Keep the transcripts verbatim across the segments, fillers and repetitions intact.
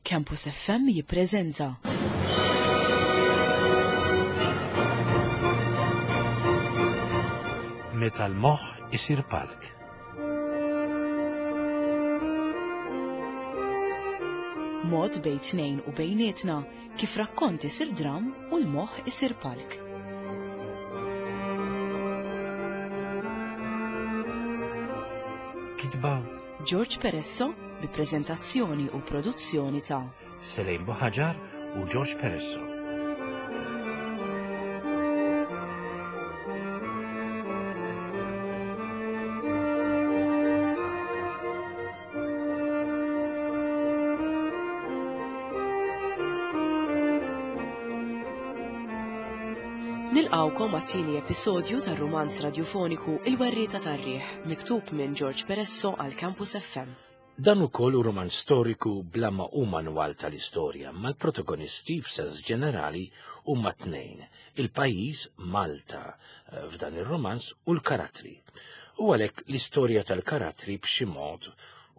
Campus F M jippreżenta Meta l-moħħ isir palk. Mod bejn tnejn u bejnietna kif rakkont isir dram u l-moħħ isir palk. Kitba George Peresso bi preżentazzjoni u produzzjoni ta' Selejn Buħaġar u George Peresso. Nilqawkom għat-tieni episodju tar-rumanz radjofoniku Il-Werrieta tar-Riħ, miktub minn George Peresso għal Campus F M. Dan ukoll hu romanz storiku bla ma hu manwal tal-istorja, ma l-protagonisti f'sens ġenerali huma tnejn, il-pajjiż Malta eh, f'dan ir-romanz u l-karattri. U għalhekk l-istorja tal-karattri b'xi mod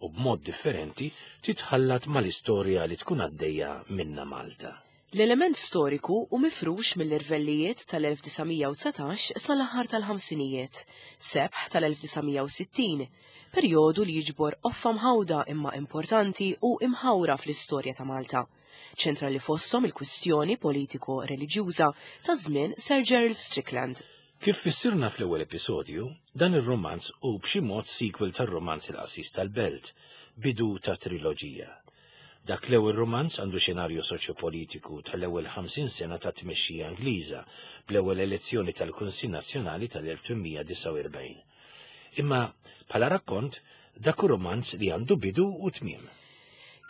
u b'mod differenti titħallat mal-istorja li tkun għaddejja minna Malta. L-element storiku hu mifrux mill-irvellijiet tal-elf disa' mija u dsatax sal-aħħar tal-ħamsinijiet, sebħ tal-elf disa' mija u sittin, perjodu li jiġbor qoffa mħawda imma importanti u imħawra fl-istorja ta' Malta. Ċentrali fosthom il-kwistjoni politiko-reliġjuża ta' żmien Sir Gerald Strickland. Kif fissirna fl-ewwel episodju, dan ir-romanz hu b'xi mod sequel tar-romanz Il-Qassis tal-Belt, bidu ta' triloġija. Dak l-ewwel romanz għandu xenarju soċjopolitiku tal-ewwel ħamsin sena ta' tmexxija Ingliża bl-ewwel elezzjoni tal-Kunsill Nazzjonali tal-elf tmien mija disgħa u erbgħin. Imma bħala rakkont dak hu romanz li għandu bidu u tmiem.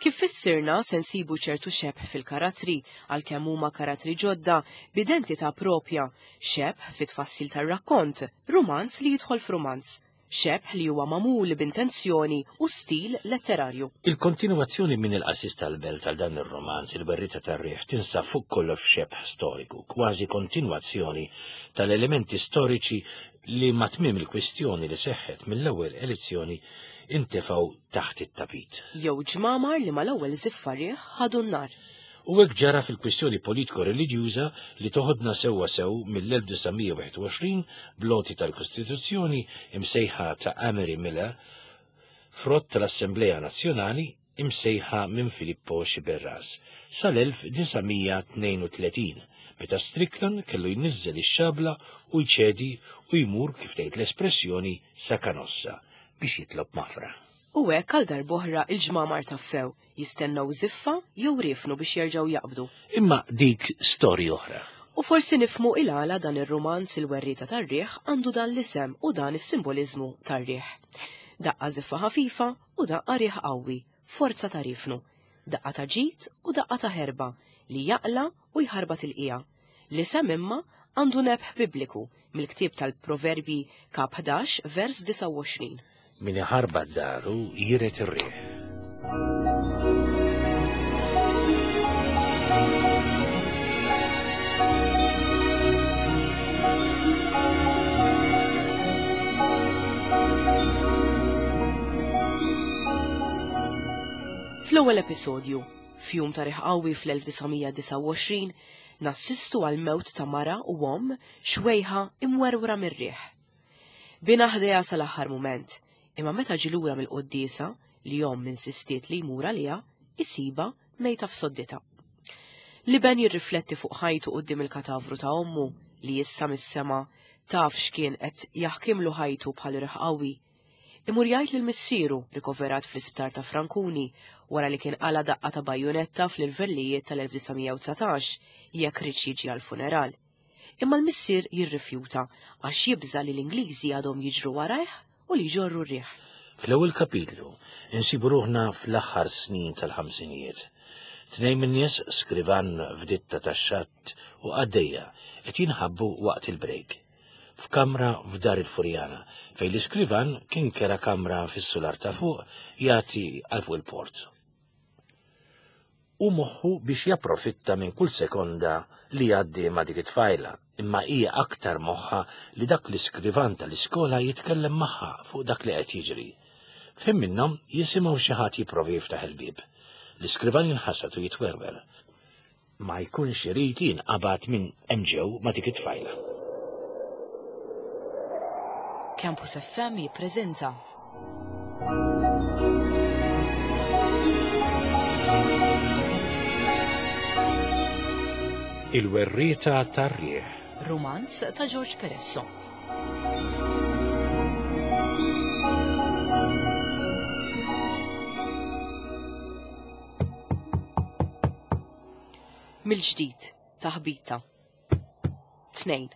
Kif fissirna, se nsibu ċertu xebh fil-karattri, għalkemm huma karattri ġodda b'identità propja, xebh fit-tfassil tar-rakkont, romanz li jidħol f'romanz, xebh li huwa magħmul b'intenzjoni u stil letterarju. Il-kontinuazzjoni minn Il-Qassis tal-Belt għal dan ir-romanz Il-Werrieta tar-Riħ tinsab fuq kollox f'xebh storiku, kważi kontinuazzjoni tal-elementi storiċi li ma' tmiem il-kwistjoni li seħħet mill-ewwel elezzjoni intefgħu taħt it-tapit. Jew ġmamar li mal-ewwel żiffa riħ ħadu n-nar. U hekk ġara fil-kwistjoni politiko-reliġjuża li toħodna sewwa sew mill-elf disa' mija u wieħed u għoxrin bl-għoti tal-Kostituzzjoni imsejħa ta' Amery Miller, frott tal-Assemblea Nazzjonali imsejħa minn Filippo Sciberras, sal-elf disa' mija tnejn u tletin, meta Strickland kellu jniżżel ix-xabla u jċedi u jmur, kif tgħid l-espressjoni, sa Kanossa biex jitlob maħfra. U hekk għal darb'oħra il-ġmamar taffew, jistennew żiffa jew riefnu biex jerġgħu jaqbdu. Imma dik storja oħra. U forsi nifhmu il-għala dan ir-romanz Il-Werrieta tar-Riħ għandu dan l-isem u dan is-simboliżmu tar-riħ. Daqqa żiffa ħafifa u daqqa riħ qawwi, forza ta' riefnu. Daqqa ta' ġid u daqqa ta' ħerba li jaqla u jħarbat il-qija. L-isem imma għandu nebħ bibliku mill-ktieb tal-Proverbi kap ħdax vers disgħa u għoxrin. Min iħarbat daru jiret ir-riħ. Fl-ewwel episodju, f'jum ta' riħ qawwi fl-elf disa' mija disgħa u għoxrin, nassistu għal mewt ta' mara u omm xwejħa imwerwra mir-riħ. Binha ħdejha sal-aħħar mument, imma meta ġie lura mill-quddiesa li omm insistiet li jmur għaliha, isibha mejta f'sodditha. L-iben jirrifletti fuq ħajtu quddiem il-katavru ta' ommu li issa mis-sema taf x'kien qed jaħkimlu ħajtu bħal riħ qawwi. Imur jgħid lil missieru rikoverat fl-isptar ta' Frankuni wara li kien qala daqqa ta' bajjonetta fl-irvellijiet tal-elf disa' mija u dsatax jekk riedx jiġi għall-funeral. Imma l-missier jirrifjuta għax jibża li l-Ingliżi għadhom jiġru warajh u li jġorru r-riħ. Fl-ewwel kapitlu insibu ruħna fl-aħħar snin tal-ħamsinijiet. Tnejn min-nies, skrivan f'ditta tax-xatt u qaddejja, qed jinħabbu waqt il-break. F'kamra f'dar il-Furjana, fejn l-iskrivan kien kera kamra fis-sular ta' fuq jagħti għal fuq il-port. U moħħu biex japprofitta minn kull sekonda li jgħaddi ma' dik it-tfajla, imma hija aktar moħħa li dak l-iskrivan tal-iskola jitkellem magħha fuq dak li qed jiġri. F'ħin minnhom jisimgħu xi ħadd jipprovi jiftaħ il-bieb. L-iskrivan jinħasad u jitwerwer. Ma jkunx irid jinqabad minn hemm ġew ma' dik it-tfajla. Campus F M jippreżenta Il-Werrieta tar-Riħ, romanz ta' George Peresso. Mill-ġdid, taħbita. Tnejn,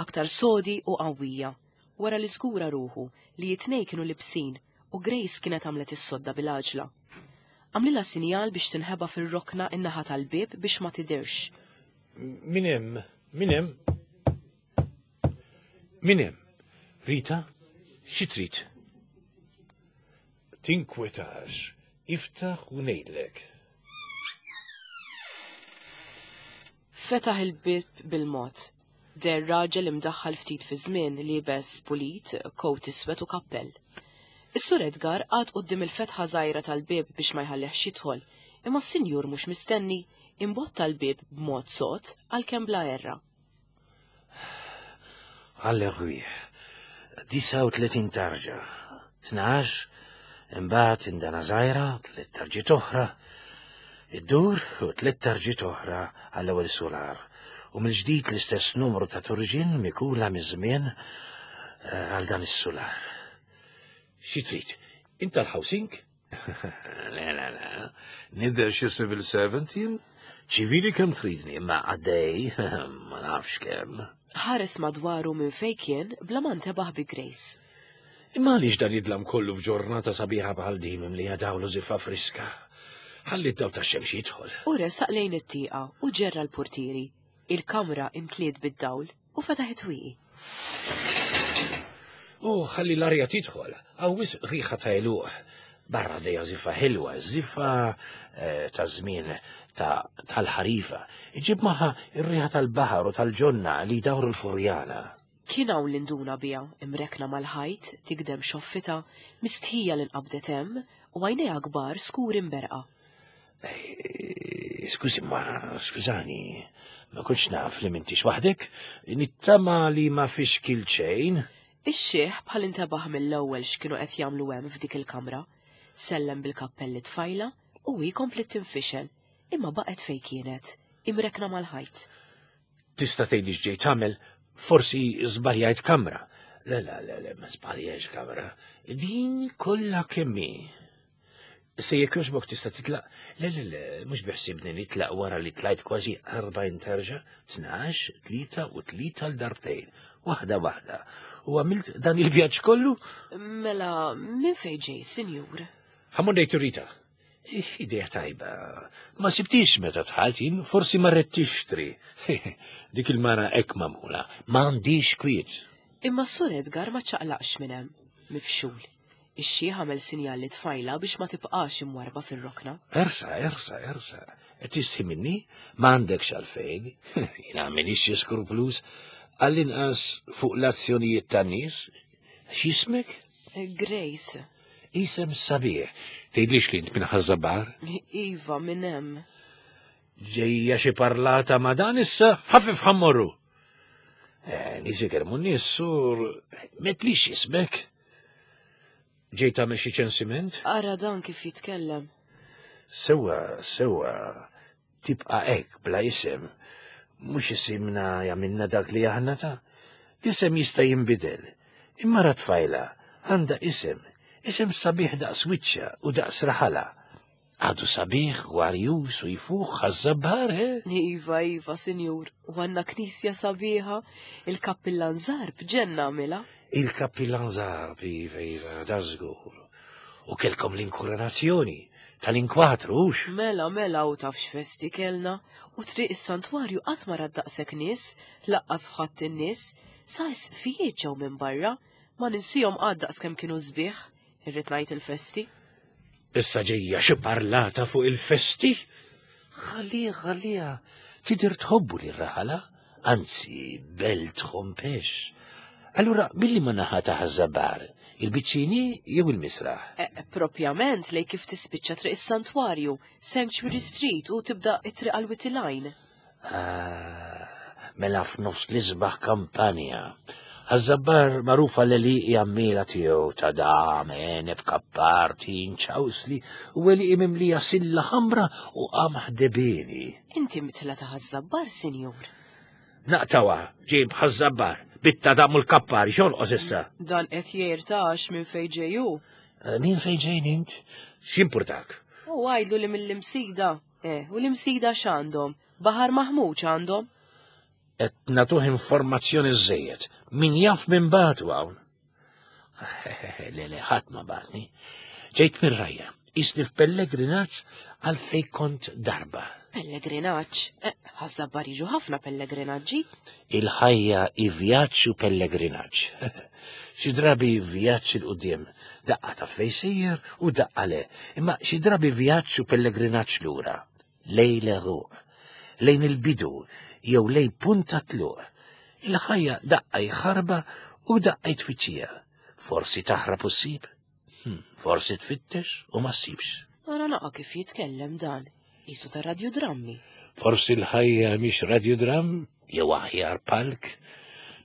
aktar sodi u qawwija, wara li żgura ruħu li it-tnejn kienu libsin u Grace kienet għamlet is-sodda bil-għaġla. Għamlilha sinjal biex tinħeba fir-rokna in-naħa tal-bieb biex ma tidirx. Min hemm? Min hemm? Min hemm? Rita, xi trid? Tinkwetax, iftaħ u ngħidlek. Fetaħ il-bieb bil-mod. Der raġel imdaħħal ftit fi żmien liebes pulit, kowt iswed u kappell. Is-Sur Edgar qagħad quddiem il-fetħa żgħira tal-bieb biex ma jħallihx jidħol, imma s-sinjur mhux mistenni imbotta l-bieb b'mod sod għalkemm bla erra. Għall-erwieħ, disa u tletin tarġa, tnax, imbagħad indana żgħira, tliet tarġiet oħra, iddur u tliet tarġiet oħra għall-ewwel solar, u mill-ġdid l-istess numru ta' turġin mikula miż-żmien, eh, għal dan is-solar. Xi trid? Inta l-housing? Le, le, le. Nidher xi civil servant jien? Ċivili kemm tridni, imma għaddej, ma nafx kemm. Ħares madwaru minn fejn kien bla ma ntebaħ bi Grace. Imma għaliex dan jidlam kollu f'ġurnata sabiħa bħal din mimlija dawl u żiffa friska? Ħalli d-daw tax-xemx jidħol. U resaq lejn it-tieqa u ġerra l-portieri. Il-kamra imtliet bid-dawl u fetaħ it-twieqi. U ħalli l-arja tidħol, hawn wisq riħa ta' għeluq. Barra dejja żiffa ħelwa, żiffa, eh, ta' żmien ta', tal-ħarifa. Iġib magħha r-riħa tal-baħar u tal-ġonna li jdawru l-furjana. Kien hawn li nduna biha, imrekna mal-ħajt, tigdem xoffita, mistħija li nqabdet hemm u għajnejha kbar skur imberqa. Eh, skużi, ma skużani, ma kontx naf li m'intix waħdek, nittama li ma fix kil xejn. Ix-xiħ bħal intebaħ mill-ewwel x'kienu qed jagħmlu hemm f'dik il-kamra. Sellem bil-kappelli tfajla u hi komplet tinfixel, imma baqgħet fejn kienet, imrekna mal-ħajt. Tista' tgħidli x'ġej tagħmel, forsi żbaljajt kamra. Le, le, le, le, ma żbaljajtx kamra. Din kollha kemm hi. Se jekk jogħġbok tista' titlaq? Le, le, le, mhux biħsibni nitlaq wara li tlajt kważi erbgħin terġa', tnax, tlieta u tlieta l-darbtejn, waħda waħda. U għamilt dan il-vjaġġ kollu? Mela, minn fejn ġej, sinjur? Ħammur ngħid Rita. Ih, idea tajba. Ma sibtix meta dħalt jien, forsi marret tixtri. Dik il-mara hekk magħmula, ma għandix kwiet. Imma s-Sur Edgar ma ċaqlaqx minn hemm, mifxul. Ix-xiħ għamel sinjal li tfajla biex ma tibqax imwarba fir-rokna. Ersa, ersa, ersa. Qed tistħi minni? Ma għandekx għalfejn. Jiena m'iniex xi skruplus. Għall-inqas fuq l-azzjonijiet tan-nies. X'ismek? Grace. Isem sabiħ. Tgħidlix li int minn Ħaż-Żabbar? Iva, minn hemm. Ġejja xi parlata ma' dan issa, ħafif ħammorru. Eh, nies ikermu n-nies, sur, metlix ismek. Ġej tagħmel xi ċensiment? Ara dan kif jitkellem. Sewwa, sewwa, tibqa' hekk bla isem. Mhux isimna jagħmilna dak li aħna ta'. L-isem jista' jinbidel. Imma ra tfajla għandha isem, isem sabiħ daqs wiċċha u daqs raħala. Għadu sabiħ u għarjus u jfuħ Ħaż-Żabbar, eh? Iva, iva, sinjur, u għandna knisja sabiħa, il-kappillan Zarb ġenna għamilha. Il-kappillan Zarb, iva, iva, da żgur. U kelkom l-inkoronazzjoni tal-inkwatru, hux? Mela, mela, u taf x'festi kellna, u triq is-santwarju qatt ma rat daqshekk nies, laqqas f'ħadd in-nies, sa isfijiet ġew minn barra, ma ninsihom qatt daqskemm kienu sbieħ, irrid ngħid il-festi. Issa ġejja xi parlata fuq il-festi? Ħalliha, ħalliha, tidher tħobbu lir-raħala, anzi belt ħompex. Allura, billi ma naħa ta' Ħaż-Żabbar, Il-biċċini jew il-misraħ? Eh, propjament lejn kif tispiċċa Triq is-Santwarju, Sanctuary Street u tibda it-triq għal Witte Line. Ah, mela f'nofs l-isbaħ kampanja. Ħaż-Żabbar magħrufa l-għelieqi għammiela tiegħu ta' dam, għeneb, kappar, tin, ċawsli u għelieqi mimlija silla ħamra u qamħ debieni. Inti mitla ta' Ħaż-Żabbar, sinjur. Naqtawha, ġej b'Ħaż-Żabbar, bit-tadam u l-kappar, x'jonqos issa? Dan qed jirtax minn fejn ġej hu. Eh, Min fejn ġejn int? X'impurtak? U għajdlu li mill-Imsida. Eh, u l-Imsida x'għandhom? Baħar maħmuġ għandhom. Qed nagħtuh informazzjoni żejjed. Min jaf min bagħtu hawn? Le, le, ħadd ma bagħatni. Ġejt mir-rajja, qisni f'pellegrinaġġ għal fej kont darba. Pellegrinaġġ. Eh, Ħaż-Żabbar jiġu ħafna pellegrinaġġi. Il-ħajja i vjaġġ u pellegrinaġġ. Xi drabi vjaġġ 'il quddiem, daqqa ta' fej sejjer u daqqa le, imma xi drabi vjaġġ u pellegrinaġġ lura. Lejn l-għeruq, lejn il-bidu jew lejn punta tluq. Il-ħajja daqqa ħarba u daqqa tfittxija. Forsi taħrab u ssib, hmm, forsi tfittex u ma ssibx. Ara naqa kif jitkellem dan. Qisu ta' radiodrammi. Forsi l-ħajja mhix radiodram, jew aħjar palk.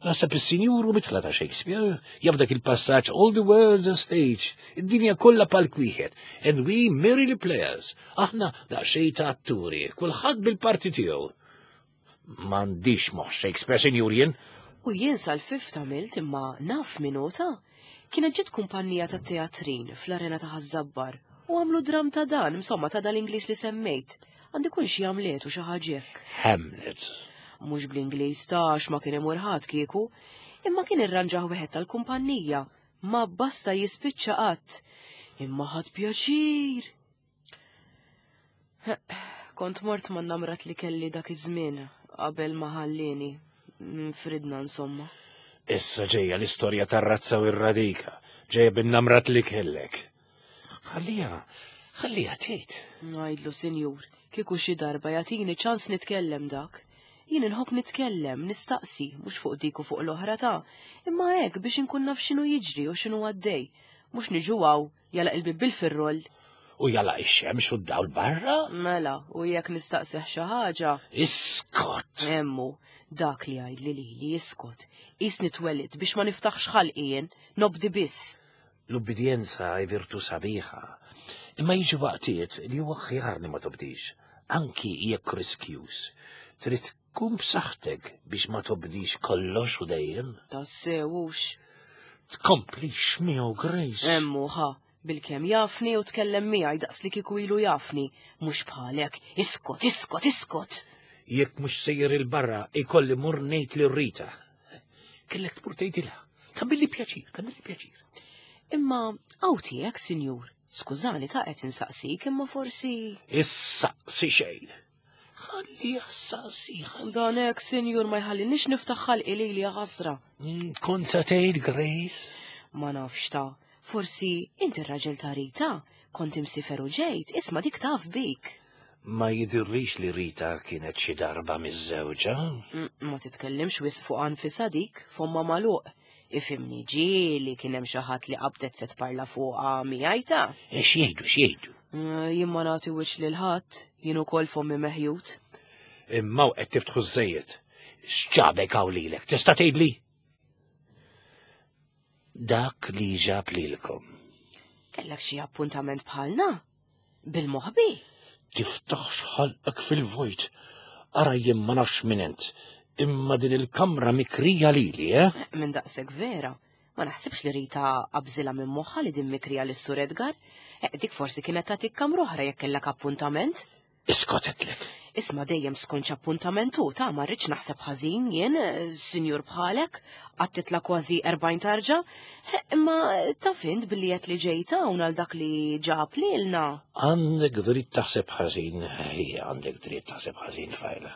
Naħseb is-sinjur hu midħla ta' Shakespeare, jaf dak il-passaġġ "All the world's a stage", id-dinja kollha palk wieħed, "and we merely players". Aħna daqsxejn ta' atturi, kulħadd bil-parti tiegħu. M'għandix moħħ Shakespeare, sinjur jien. U jien sal-fifth għamilt imma naf minuta. Kienet ġiet kumpanija ta' teatrin fl-arena ta' Ħaż-Żabbar u għamlu dram ta' dan, insomma ta' dal-Ingliż li semmejt. Għandi kun xi Hamlet u xi ħaġa hekk. Hamlet. Mhux bl-Ingliż tax ma kien imur ħadd kieku, imma kien irranġaħ wieħed tal-kumpanija. Ma basta jispiċċa qatt. Imma ħadt pjaċir. Kont mort ma' namrat li kelli dak iż-żmien qabel ma ħallini. Nfridna insomma. Issa ġejja l-istorja tar-razza u r-radika, ġejja bin-namrat li kellek. Ħallija, ħallija tgħid. Ngħidlu sinjur, kieku xi darba jagħtini ċans nitkellem dak. Jien inħobb nitkellem, nistaqsi, mhux fuq dik u fuq l-oħra ta' imma hekk biex inkun naf x'inhu jiġri u x'inhu għaddej. Mhux niġu hawn jagħlaq il-bib bil-firroll. U jagħlaq ix-xemx u d-dawl barra? Mela, u jekk nistaqsih xi ħaġa. Iskot! Emmu, dak li għajdli li li jiskot. Qisni twelidt biex ma niftaħx ħalqi jien, nobdi biss. L-ubbidjenza hi virtu sabiħa. Imma jiġu waqtiet li huwa aħjar li ma tobdix, anki jekk riskjus. Trid tkun b'saħħtek biex ma tobdix kollox u dejjem. Tassewux. Tkomplix miegħu Grace. Emmu ħa, bilkemm jafni u tkellem miegħi daqs li kieku ilu jafni, mhux bħalek, iskot, iskot, iskot. Jekk mhux sejjer il-barra, ikolli mur ngħid lil Rita. Kellek tmur tgħidilha. Tagħmilli pjaċir, tagħmilli pjaċir. Imma hawn tiegħek, sinjur, skużani ta' qed insaqsik, imma forsi. Issaqsi xejn. Ħalli ssaqsi, ħalli. Dan hekk, sinjur, ma jħallinix niftaħ ħalqi lili ħasra. Mm, Kont sa tgħid Grace? Ma nafx ta' forsi inti r-raġel ta' Rita, kont imsiefer u ġejt, isma' dik taf bik. Ma jidirrix li Rita kienet xi darba miżżewġa. Mm, Ma titkellimx wisq fuq anfisha dik, fomma magħluq. Ifhimni ġieli kien hemm xi ħadd li qabdet se tparla fuqha miegħi ta'. E x'jgħidu, x'jgħidu? Mm, Jien ma nagħti wiċċ lil ħadd, jien ukoll fommi meħjut. Imma qed tiftħu żejjed. X'ġabek hawn lilek, tista' tgħidli? Dak li ġab lilkom. Kellek xi appuntament bħalna? Bil-moħbi? Tiftaħx ħalqek fil-vojt. Ara jien ma nafx min int. Imma din il-kamra mikrija lili, eh? Minn daqshekk vera. Ma naħsibx li Rita qabżilha minn moħħa li din mikrija lis Sur Edgar. Eh, dik forsi kienet tagħtik kamra oħra jekk kellek appuntament. Iskot għedtlek. Isma dejjem skont appuntament u ta' ma rridx naħseb ħażin jien, eh, sinjur bħalek, qatt titla' kważi erbgħin tarġa, Eh, imma taf int billi qed li ġejta hawn għal dak li ġab lilna. Għandek dritt taħseb ħażin, hija għandek dritt taħseb ħażin tfajla.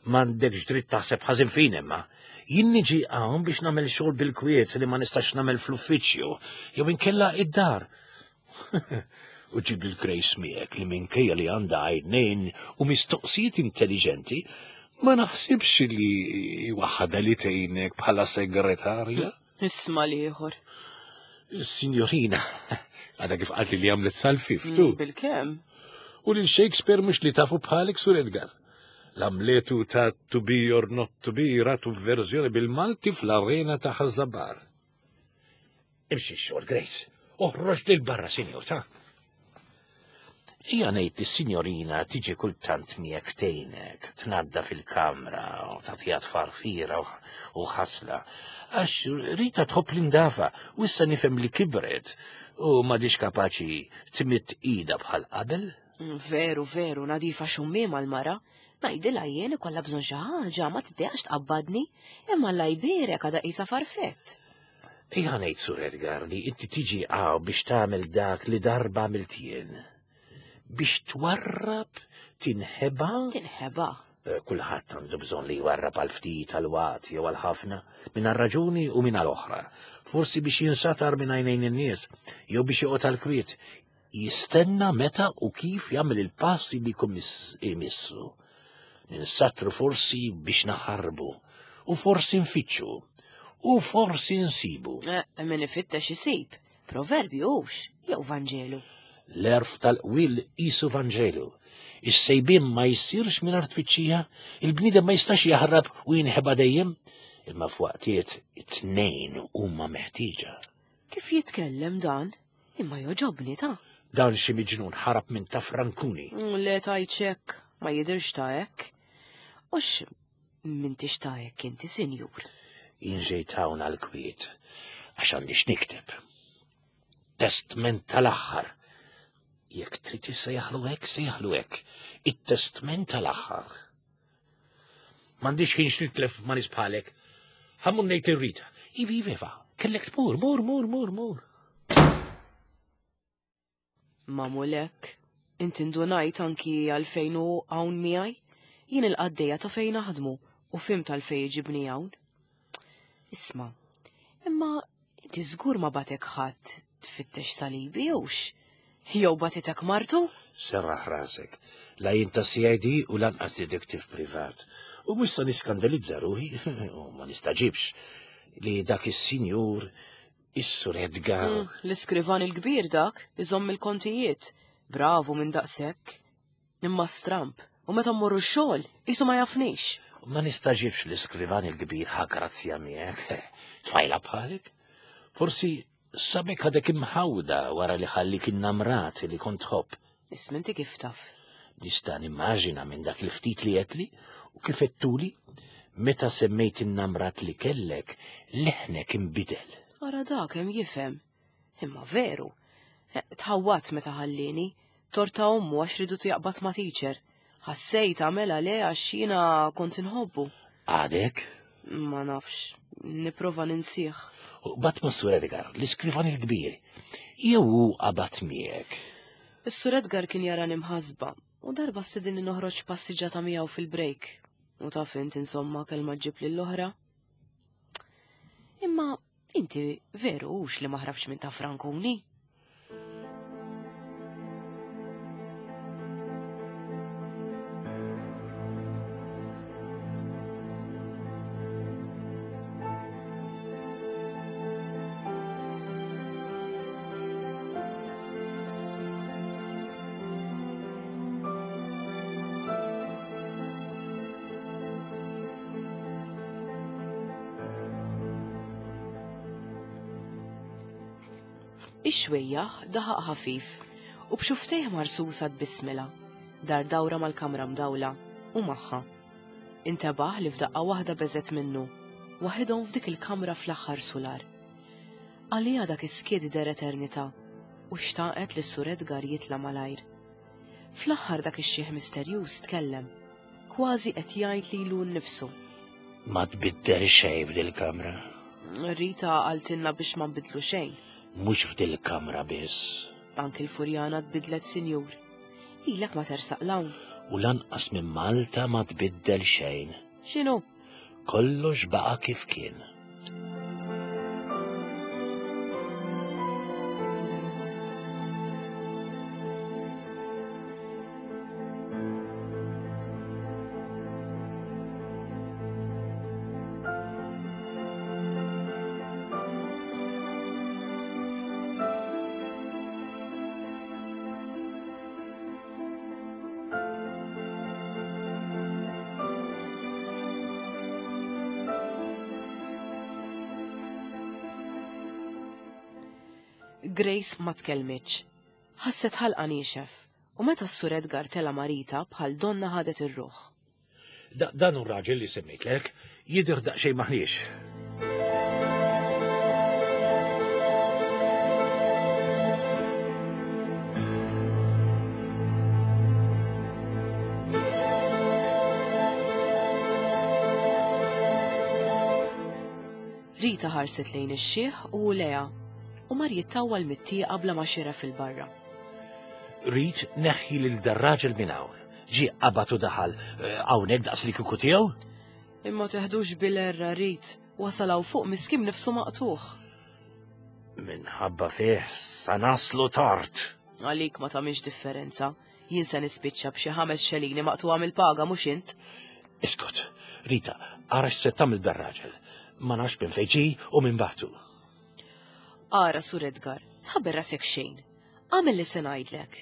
M'għandekx dritt taħseb ħażin fin imma. Jien niġi hawn biex nagħmel xogħol bil-kwiet li ma nistax nagħmel fl-uffiċċju jew inkella id-dar. U ġib il-Grace miegħek li minkejja li għandha għajnejn u mistoqsijiet intelligenti, ma naħsibx li waħda li tgħinek bħala segretarja. Isma' l-ieħor. Signorina, għadha kif qaltli li għamlet sal-fiftu. Mm, Bil-kemm? U lil Shakespeare mhux li tafu bħalek, Sur Edgar. L-Amletu ta' To Be or Not To Be ratu verżjoni bil-Malti fl-arena ta' Ħaż-Żabbar. Imxi xogħol, Grace. Oħroġ lil barra, sinjur, ta' Ija ngħid li s-sinjorina tiġi kultant miegħek tgħinek, tnadda fil-kamra u tagħtiha tfarfira u ħasla. Għax Rita tħobb l-indafa u issa nifhem li kibret u m'għadix kapaċi tmidd ida bħal qabel. Mm, Veru, veru, nadifa xummiema l-mara. Ngħidilha jien ikollha bżonn xi ħaġa ma tiddejaqx tqabbadni, imma Alla jbierek għadha qisha farfett. Ija ngħid, Sur Edgar, li inti tiġi hawn biex tagħmel dak li darba għamilt jien. Biex twarrab, tinħeba. Tinħeba. Eh, Kulħadd għandu bżonn li jwarrab għal ftit għal waqt jew għal ħafna, minn għal raġuni u minn għal oħra. Forsi biex jinsatar minn għajnejn in-nies, jew biex joqgħod għal kwiet. Jistenna meta u kif jagħmel il-passi li jkun imissu. Ninsatru forsi biex naħarbu, u forsi nfittxu, u forsi nsibu. Eh, min ifittex isib. Proverbju hux, jew Vanġelu. L-għerf tal-qwiel qisu Vanġelu. Is-sejbien ma jsirx minn tfittxija, il-bniedem ma jistax jaħrab u jinħeba dejjem, imma f'waqtiet it-tnejn huma meħtieġa. Kif jitkellem dan? Imma joġobni ta' Dan xi miġnun ħarab minn ta' Frankuni. Mm, Le tajċek, ma jidirx ta' hekk. Ux m'intix ta' hekk inti, sinjur. Jien ġejt hawn għal-kwiet, għax għandi x'nikteb. Testment tal-aħħar. Jekk trid issejjaħlu hekk, sejjaħlu hekk. It-testment tal-aħħar. M'għandix ħin x'nitlef ma' nies bħalek. Ħa mmur ngħid lil Rita. Ivi, ivi, iva, kellek tmur, mur, mur, mur, mur. Mamulek, inti ndunajt anki għalfejn hu hawn miegħi? Jien il-qaddejja ta' fejn naħdmu u fhimt għalfejn iġibni hawn. Isma, imma inti żgur ma bagħtek ħadd tfittex salibi hux? Jew bagħtitek martu? Serraħ rasek, la jien ta' C I D u lanqas detective privat. U mhux sa niskandalizza ruħi, u ma nistaġibx li dak is-sinjur, is-Sur Edgar. Mm, L-iskrivan il-kbir dak, iżomm il-kontijiet. Bravu minn daqshekk. Imma stramp, u meta mmorru x-xogħol, qisu ma jafnix. Ma nistaġibx l-iskrivan il-kbir ħa grazzja miegħek. Tfajla bħalek? Forsi sabek għadek imħawda wara li ħallik in-namrat li kont tħobb. Isma' inti kif taf? Nista' nimmaġina minn dak il-ftit li għedtli u kif għedtuli meta semmejt in-namrat li kellek, leħnek imbidel. Ara dak hemm jifhem. Imma veru. Eh, Tħawwadt meta ħallini, torta ommu għax ridu jaqbad ma' teacher. Ħassejt għamela le għax jiena kont inħobbu. Għadek? Ma nafx, nipprova ninsih. U qbadt ma' Sur Edgar, l-iskrivan il-kbir. Jew hu qabad miegħek. Is-Sur Edgar kien jarani mħasba u darba stedinni noħroġ passiġġata miegħu fil-break. U taf int insomma kelma ġib lill-oħra. Imma inti veru hux li ma ħrabx minn ta' Frankuni? Ix-xwejjaħ daħaq ħafif u b'xufftejh marsusa tbissmilha, dar dawra mal-kamra mdawla u magħha. Intebaħ li f'daqqa waħda beżgħet minnu, waħedhom f'dik il-kamra fl-aħħar sular. Għalija dak is-skiet deher eternità u xtaqet li Sur Edgar jitla malajr. Fl-aħħar dak ix-xieħ misterjuż tkellem, kważi qed jgħid lilu nnifsu. Ma tbiddel xejn f'dil-kamra. Rita qaltilna biex ma nbidlu xejn. Mhux f'dil-kamra biss. Anki l-Furjana tbidlet, sinjur. Ilek ma tersaq 'l hawn. U lanqas minn Malta ma tbiddel xejn. X'inhu? Kollox baqa' kif kien. Grace ma tkellmitx. Ħasset ħalqa niexef u meta s-Sur Edgar tela marita bħal donna ħadet ir-ruħ. Dan hu raġel li semmejtlek, jidher daqsxejn maħniex. Rita ħarset lejn ix-xiħ u Lea u mar jittawwal mit-tieqa bla ma xira fil-barra. Rit neħħi lil dar-raġel minn hawn. Ġie qabad u daħal hawnhekk daqs li kieku tiegħu? Imma teħdux bil-erra Rit, wasal hawn fuq miskin nifsu maqtuħ. Minħabba fih sa naslu tard. Għalik ma tagħmilx differenza. Jien se nispiċċa b'xi ħames xelini maqtuha mill-paga mhux int. Iskot, Rita, ara x'se tagħmel dar-raġel. Ma nafx minn fejn ġie u minn bagħtu. Ara, Sur Edgar, tħabber rasek xejn. Għamel li se ngħidlek.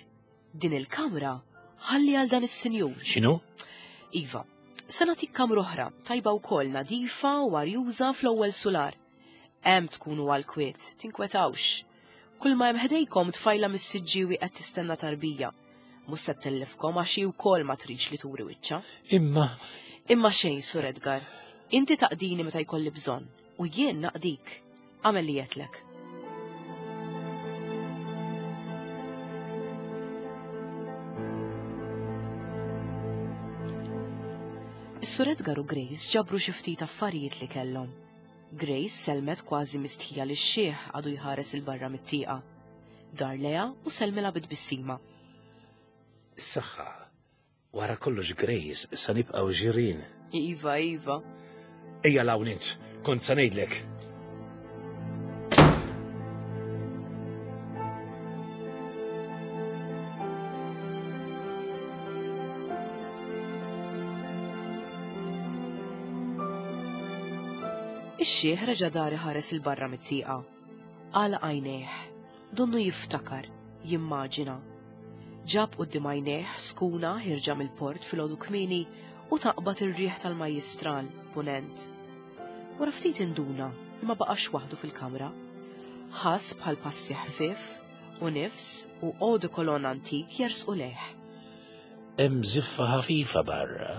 Din il-kamra ħalli għal dan is-sinjur. X'inhu? Iva, se nagħtik kamra oħra, tajba wkoll nadifa u arjuża fl-ewwel sular. Hemm tkunu għal kwiet, tinkwetawx. Kull ma hemm ħdejkom tfajla mis-Siġġiewi qed tistenna tarbija. Mhux se ttellifkom għax hi wkoll ma tridx li turi wiċċha. Imma Imma xejn, Sur Edgar. Inti taqdini meta jkolli bżonn u jien naqdik. Għamel li jetlek. Is-Sur Edgar u Grace ġabru xi ftit affarijiet li kellhom. Grace selmet kważi mistħija li x-xiħ għadu jħares il-barra mit-tieqa. Dar leha u selmilha bit-tbissima. Is-saħħa, wara kollox Grace sa nibqgħu ġirien. Iva, iva. Ejja l-hawn int, kont sa ngħidlek. Ix-xiħ reġa' dar iħares il-barra mit-tieqa. Għalaq għajnejh, donnu jiftakar, jimmaġina. Ġab quddiem għajnejh skuna ħirġa mill-port filgħodu kmieni u taqbad ir-riħ tal-majjistral punent. Wara ftit induna li ma baqax waħdu fil-kamra. Ħass bħal passi ħfief u nifs u eau de cologne antik jersqu lejh. Hemm żiffa ħafifa barra,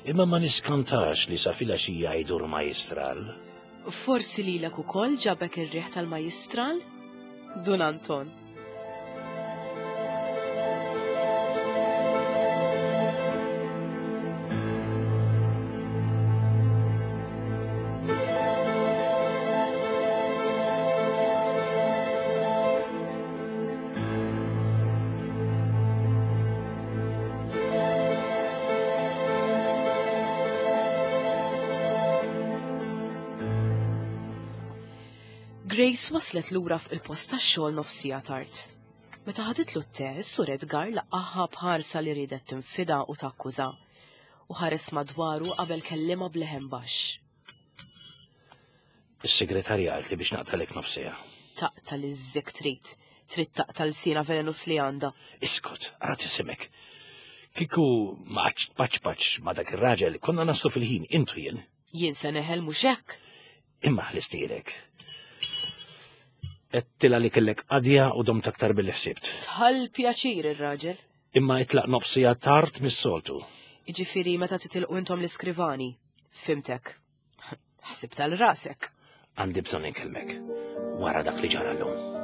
imma ma niskantax li sa filgħaxija jdur majjistral. Forsi lilek ukoll ġabek ir-riħ tal-majjistral? Dun Anton. Grace waslet lura fuq il-post tax-xogħol nofsija tard. Meta ħaditlu t-te, is-Sur Edgar laqaħha b'ħarsa li riedet tinfida u takkuża u ħares madwaru qabel kellimha b'leħen baxx. Is-segretarja qalt li biex naqtalek nofsija. Taqta' li żżek trid, trid taqta' l-sina velenus li għandha. Iskot, ara tisimek. Kieku ma qgħadx tpaċpaċ ma' dak ir-raġel, konna naslu fil-ħin intu jien. Jien se neħel mhux hekk. Imma ħlistilek. Għedtilha li kellek qadja u domt aktar billi ħsibt. Tħall pjaċir ir-raġel. Imma itlaq nofsija tard mis-soltu. Jiġifieri meta titilqu intom l-iskrivani. Fimtek. Ħsib tal-rasek. Għandi bżonn inkellmek wara dak li ġara llum.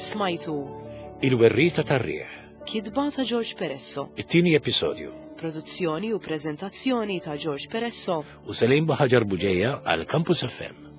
Smajtu Il-Werrieta tar-Riħ, Kitba ta' George Peresso, it-tieni episodju, produzzjoni u preżentazzjoni ta' George Peresso, u Selim Buhaġar Buġeja għal Campus F M.